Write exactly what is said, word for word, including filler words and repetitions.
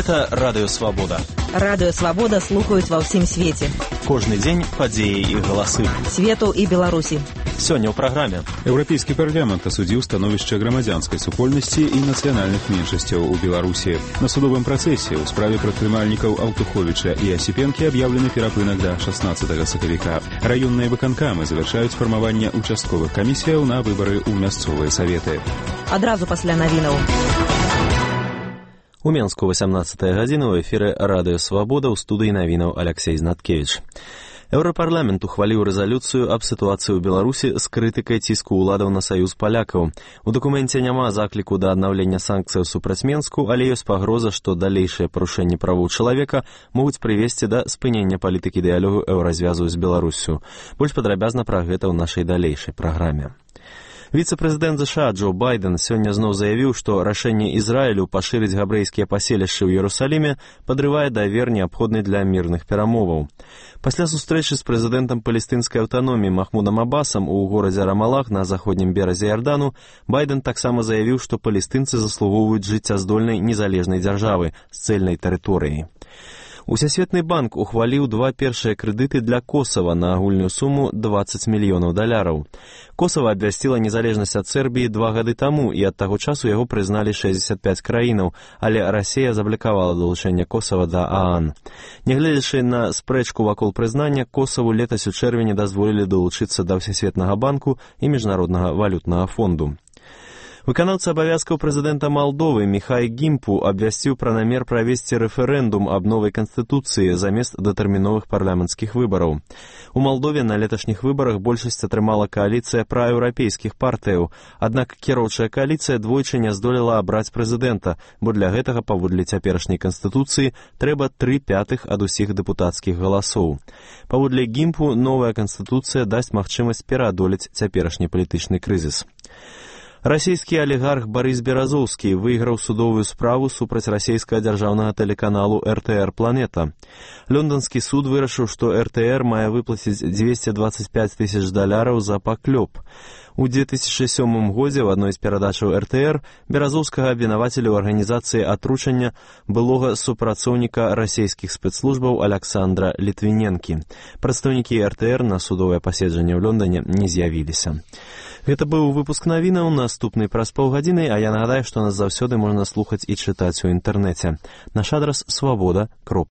Гэта Радыё Свабода. Радыё Свабода слухаюць ва ўсім свеце. Кожны дзень падзеі і галасы. Свету і Беларусі. Сёння ў праграме. Еўрапейскі парламент асудзіў становішча грамадзянскай супольнасці і нацыянальных меншасцяў у Беларусі. На судовым працэсе ў справе прадпрымальнікаў Аўтуховіча і Асіпенкі аб'яўлены перапынак да шаснаццатага сакавіка. Раённыя выканкамы завяршаюць фармаванне участковых камісіяў на выбары ў мясцовыя саветы. Адразу пасля навінаў. У Менску васямнаццатая гадзіна ў эфіры Радыё Свабода, ў студыі навінаў Аляксей Знаткевіч. Еўрапарламент ухваліў рэзалюцыю аб сітуацыі ў Беларусі з крытыкай ціску ўладаў на саюз палякаў. У дакуменце няма закліку да аднаўлення санкцыяў супраць Менску, але ёсць пагроза, што далейшыя парушэнні правоў чалавека могуць прывесці да спынення палітыкі дыялогу еўразвязу з Беларуссю. Больш падрабязна пра гэта ў нашай далейшай праграме. Віцэ-прэзідэнт ЗША Джо Байден сёння зноў заявіў, што рашэнне Ізраілю пашырыць габрэйскія паселішчы ў Іерусаліме падрывае давер, неабходны для мірных перамоваў. Пасля сустрэчы з прэзідэнтам палестынскай аўтаноміі Махмудам Абасам у горадзе Рамалах на заходнім беразе Ярдану, Байден таксама заявіў, што палестынцы заслугоўваюць жыццяздольнай незалежнай дзяржавы з цэльнай тэрыторыяй. Усесветны банк ухваліў два першыя крэдыты для Косава на агульную суму дваццаць мільёнаў даляраў. Косава абвясціла незалежнасць ад Сербіі два гады таму, і ад таго часу яго прызналі шэсцьдзесят пяць краінаў, але Расія заблакавала далучэнне Косава да ААН. Нягледзячы на спрэчку вакол прызнання, Косаву летась у чэрвені дазволілі далучыцца да Всесветнага банку і Міжнароднага валютнага фонду. Выканаўца абавязкаў прэзідэнта Малдовы Міхай Гімпу абвясціў пра намер правесці рэферэндум аб новай канстытуцыі замест датэрміновых парламенцкіх выбараў. У Малдове на леташніх выбарах большасць атрымала кааліцыя праеўрапейскіх партыяў, аднак кіроўчая кааліцыя двойчы не здолела абраць прэзідэнта, бо для гэтага, паводле цяперашняй канстытуцыі, трэба тры пятых ад усіх дэпутацкіх галасоў. Паводле Гімпу, новая канстытуцыя дасць магчымасць пераадолець цяперашні палітычны крызіс. Расійскі алігарх Барыс Беразоўскі выйграў судовую справу супраць расійскага дзяржаўнага тэлеканалу эр тэ эр «Планета». Лонданскі суд вырашыў, што эр тэ эр мае выплаціць дзвесце дваццаць пяць тысяч даляраў за паклёп. У дзве тысячы сёмым годзе ў адной з перадачаў эр тэ эр Беразоўскага абвінавацілі ў арганізацыі атручання былога супрацоўніка расійскіх спецслужбаў Аляксандра Літвіненкі. Прадстаўнікі эр тэ эр на судовае паседжанне ў Лондане не з'явіліся. Гэта быў выпуск навінаў, наступны праз паўгадзіны, а я нагадаю, што нас заўсёды можна слухаць і чытаць у інтэрнэце. Наш адрас свабода кропка